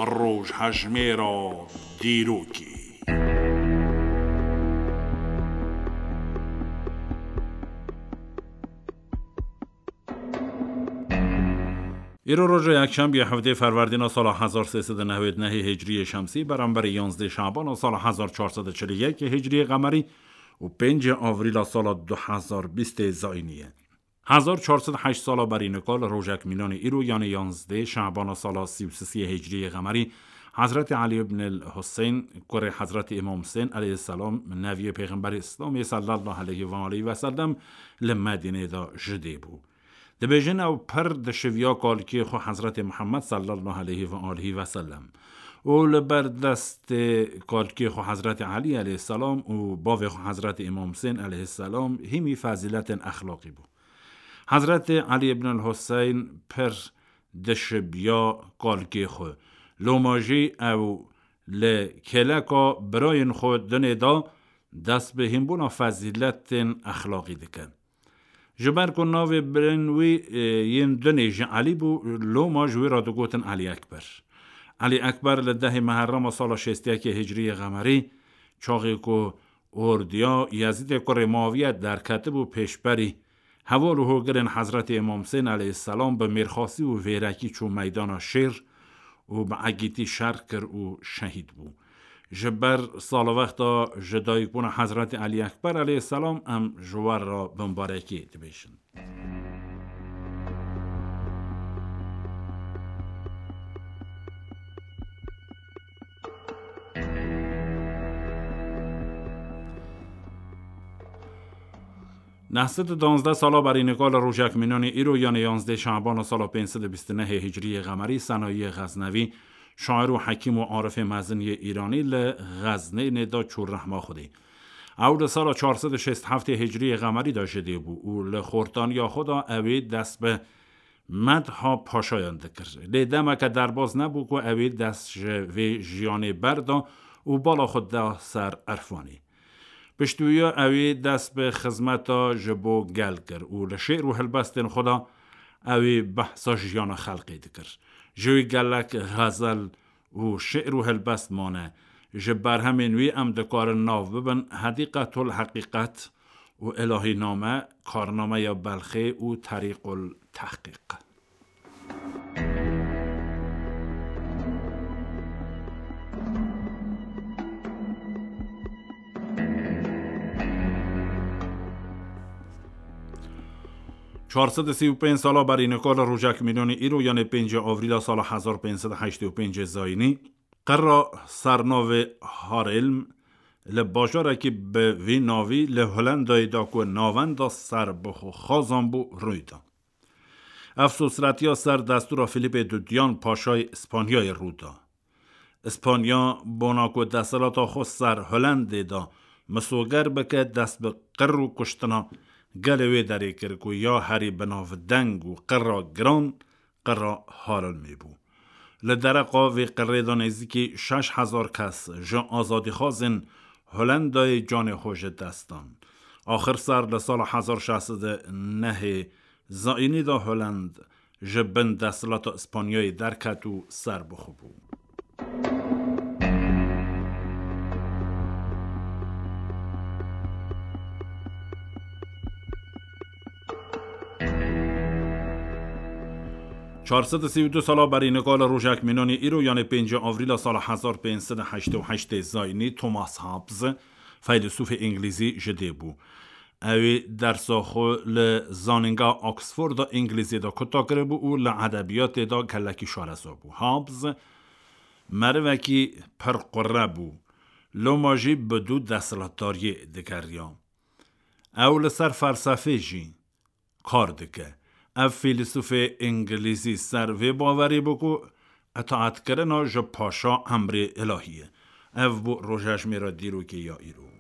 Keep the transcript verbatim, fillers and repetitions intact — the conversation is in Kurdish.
Rojhejmêra dîrokê. Îro roja yekşembiye hevdê Ferwerdîna sala hezar sê sed û newêd nehê Hicriyê Şemsî, beramberî yanzdê Şabana sala hezar çar sed û çil û yek Hicriyê Qemerî û pêncê Avrîla sala du hezar bîstê Zayînî ye. Hezar çar sed heşt sala berî nika li rojek mînanê îro, yanê yanzdê Şabana sala sî û sisiyê Hicriyê Qemerî, Hezretî Elî ibn el Huseyn, kurê Hezretî Îmam Husên aleyhisselam, neviyê Pêxemberê Îslamê sallallahu aleyhi ve aleyhi ve sellem, li Medînê de ji dê bû. Dibêjin ew pir dişiviya kalkê xwe Hezretê Muhammed sallallahu aleyhi ve aleyhi ve sellem û li ber destê kalkê xwe Hezretê Elî aleyhisselam û bavê xwe Hezretê Îmam Husên aleyhisselam hîmî fezîletên exlaqî bû. Hezretê Elî ibn el Huseyn pir dişibiya kalkê xwe. Loma jî ew li kêleka birayên xwe dinê de dest bi hînbûna fezîletên exlaqî dike. Ji ber ku navê birên wî, e, yên dinê ji Elî bû, loma ji wî re digotin Elî Ekber. Elî Ekber li dehê Meherrema sala şêst û yekê Hicriyê Qemerî, çaxê ku ordiya Yezîdê kurê Muaviye derketibû pêşberî heval û hogirên Hezretê Îmam Husên aleyhisselam bi mêrxasî û vêrekî çû meydana şêr û bi egîtî şer kir û şehîd bû. Ji ber salvexta ji dayikbûna Hezretî Elî Ekber aleyhisselam em ji we re bimbarekê dibêjin. Neh sed û danzdeh sala berî nika li rojek mînanê îro, yanê yanzdê Şabana sala pênc sed û bîst û nehê Hicriyê Qemerî, Senayiyê Xeznevî, şair û hekîm û arifê mezin yê Îranî, li Xeznênê de çû rehma Xwedê. Ew li sala çar sed û şêst heftê Hicriyê Qemerî de ji dê bû û li xortaniya xwe de ew ê dest bi medha paşayan dikir. Lê demeke derbaz nebû ku ew ê dest ji vê jiyanê berda û bala xwe da ser Erfanê. Piştî wî ew ê dest bi xizmeta ji bo gel kir û li şê'r û helbestên xwe de ew ê behsa jiyana xelkê dikir. Ji wî gelek xezel û şi'r û helbest mane. Ji berhemên wî em dikarin nav bibin Hedîqetul Heqîqet û Îlahîname, Karnameya Belxê û Terîqul Tehqîq. Çar sed û sî û pênc sala berî nika li rojek mînanê îro, yanê pêncê Avrîla sala hezar pênc sed û heştê û pêncê Zayînî, qira sernavê Harelm li bajarekî bi vî navî li Holendayê de ku navenda serbixwe Xazan bû, rûy da. Ev sosretiya ser destûra Filîpê Dudiyan, paşayê Îspanyayê, rû da. Îspanya bona ku desthilata xwe ser Holendê de misoger bike, dest bi qir û kuştina gelê wê derê kir ku ya herî binavdeng û qira giran qira Harelmê bû. Li dereqa vê qirê de nêzîkî şeş hezar kes ji azadîxwazên Holendayê canê xwe ji dest dan. Axir ser li sala hezar şeş sed û nehê Zayînî de Holend ji bin desthilata Îspanyayê derket û serbixwe bû. Çar sed û sî û du sala berî nika li rojek mînanê îro, yanê pêncê Avrîla sala hezar pênc sed û heştê û heştê Zayînî, Thomas Hobbes, feylesûfê îngilîzî, ji dê bû. Ew ê dersa xwe li Zanîngeha Oxford de îngilîzî de kuta kiribû û li edebiyatê de gelekî şareza bû. Hobbes merivekî pir qure bû. Loma jî bi dû desthilatdariyê digeriya. Ew li ser felsefê jî kar dike. Ev fîlsûfê îngilîzî ser vê bawerî bû ku îtaetkirina ji paşa emrê îlahî ye. Ev bû rojejmêra dîrokê ya îro.